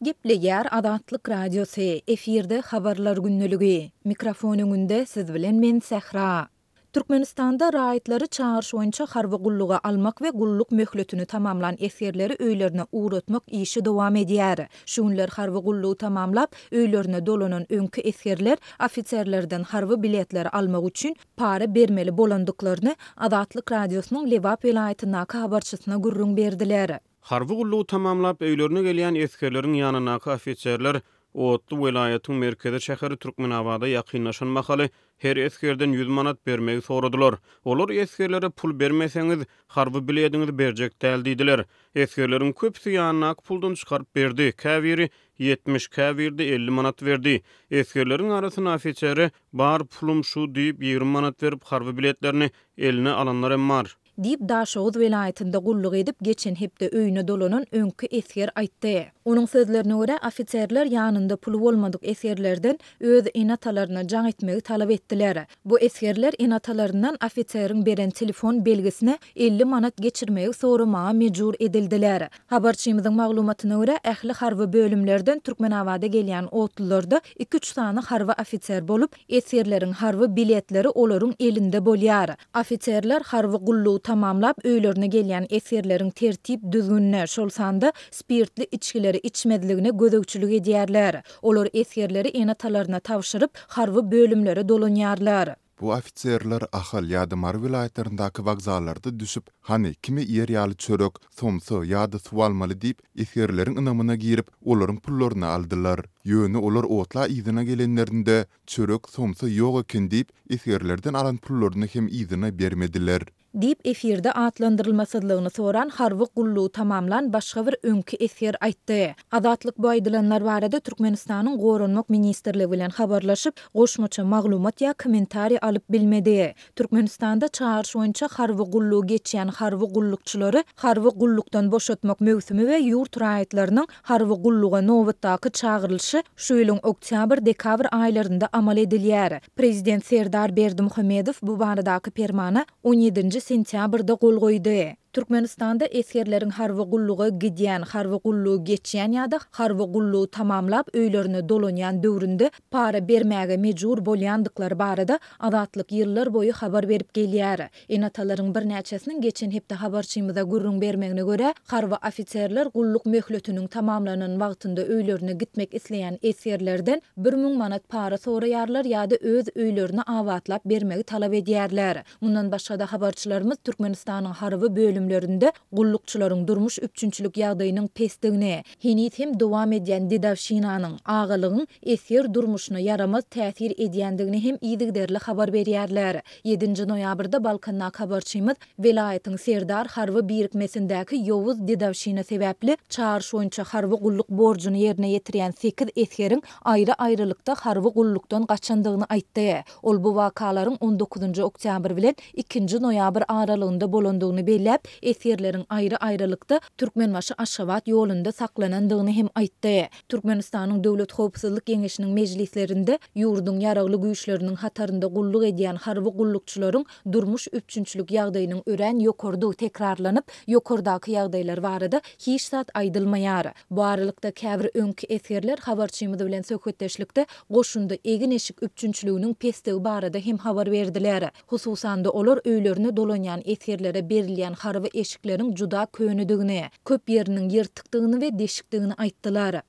Gepleýär Azatlyk Radiosy, efirde Habarlar gündeligi. Mikrofon öňünde siz bilen men Sähra. Türkmenistanda raýatlary çagyryş boýunça harby gulluga almak we gulluk möhletini tamamlan esgerleri öýlerine ugratmak işi dowam edýär. Şu günler harby gullugy tamamlap, öýlerine dolanan öňki esgerler ofiserlerden harby biletleri almak üçin para bermeli bolandyklaryny Azatlyk Radiosynyň Lebap welaýatyndaky habarçysyna gürrüň berdiler. Harby gullugy tamamlap, öýlerine gelýän esgerleriň ýanyndaky ofiserler otly welaýatyň merkezi şäheri Türkmenabada ýakynlaşan mahaly her esgerden 100 manat bermegi soradylar. Olar esgerlere pul bermeseňiz, harby bilediňizi berjek däl diýdiler. Esgerleriň köpüsi ýanyndaky puldan çykaryp berdi, käbiri 70, käbiri-de 50 manat berdi. Esgerleriň arasynda ofisere bar pulum şu diýip, 20 manat berip, harby biletlerini eline alanlar hem bar. Diýip, Daşoguz welaýatynda gulluk edip, geçen hepde öýüne dolanan öňki esger aýtdy. Onuň sözlerine görä, ofiserler ýanynda puly bolmadyk esgerlerden öz ene-atalaryna jaň etmegi talap etdiler. Bu esgerler ene-atalaryndan ofiseriň beren telefon belgisine 50 manat geçirmegi soramaga mejbur edildiler. Habarçymyzyň maglumatyna görä, ähli harby bölümlerden Türkmenabada gelýän otlularda iki-üç sany harby ofiser bolup, Esgerleriň harby biletleri olaryň elinde bolýar. Ofiserler harby gullugy tamamlap öýlerine gelýän esgerleriň tertip-düzgünine, şol sanda spirtli içgileri içmezligine gözegçilik edýärler. Olar esgerleri ene-atalaryna tabşyryp, harby bölümlere dolanýarlar. Bu ofiserler Ahal ýa-da Mary welaýatlaryndaky wokzallarda düşüp, hany, kime iýer ýaly çörek, somsa ýa-da suw almaly diýip, esgerleriň ynamyna girip, olaryň pullaryny aldylar. Ýöne olar otla yzyna gelenlerinde, çörek, somsa ýok eken diýip, esgerlerden alan pullaryny hem yzyna bermediler. Diýip, efirde atlandyrylmasyzlygyny soran harby gullugy tamamlan başga bir öňki esger aýtdy. Azatlyk bu aýdylanlar barada Türkmenistanyň Goranmak ministrligi bilen habarlaşyp, goşmaça maglumat ýa kommentariý alyp bilmedi. Türkmenistanda çagyryş boýunça harby gullugy geçýän harby gullukçylary harby gullukdan boşatmak möwsümi we ýurt raýatlarynyň harby gulluga nobatdaky çagyrylyşy şu ýylyň oktýabr-dekabr aýlarynda amal edilýär. Prezident Serdar Berdimuhamedow bu baradaky permana on ýedinji sentýabrda gol goýdy. Türkmenistanda esgerleriň harby gulluga gidýän, harby gullugy geçýän ýa-da harby gullugy tamamlap öýlerine dolanýan döwründe para bermäge mejbur bolýandyklary barada Azatlyk ýyllar boýy habar berip gelýär. Ene-atalaryň birnäçesiniň geçen hepde habarçymyza gürrüň bermegine görä, harby ofiserler gulluk möhletiniň tamamlanan wagtynda öýlerine gitmek isleýän esgerlerden 1000 manat para soraýarlar ýa-da öz öýlerini abatlap bermegi talap edýärler. Mundan başga-da habarçylarymyz Türkmenistanyň harby bölümlerinde gullukçylaryň durmuş üpjünçilik ýagdaýynyň pesdigini, heniz hem dowam edýän dedowşinanyň, agalygyň esger durmuşyna ýaramaz täsir edýändigini hem yzygiderli habar berýärler. Ýedinji noýabrda Balkandaky habarçymyz welaýatyň Serdar harby birikmesindäki ýowuz dedowşina sebäpli çagyryş boýunça harby gulluk borjuny ýerine ýetirýän sekiz esgeriň aýry-aýrylykda harby gullukdan gaçandygyny aýtdy. Ol bu wakalaryň on dokuzynjy oktýabr bilen ikinji noýabr aralygynda bolandygyny belläp, esgerleriň aýry-aýrylykda Türkmenbaşy-Aşgabat ýolunda saklanandygyny hem aýtdy. Türkmenistanyň Döwlet howpsuzlyk geňeşiniň mejlislerinde ýurduň Ýaragly Güýçleriniň hatarynda gulluk edýän harby gullukçylaryň durmuş üpjünçilik ýagdaýynyň örän ýokarydygy tekrarlanyp, ýokardaky ýagdaýlar barada hiç zat aýdylmaýar. Bu aralykda, käbir öňki esgerler habarçymyz bilen söhbetdeşlikde goşunda egin-eşik üpjünçiliginiň pesdigi barada hem habar berdiler. Hususan-da, olar öýlerine dolanýan esgerlere berilýän harby eşikleriň juda könedigini, köp ýeriniň ýyrtykdygyny we deşikdigini aýtdylar.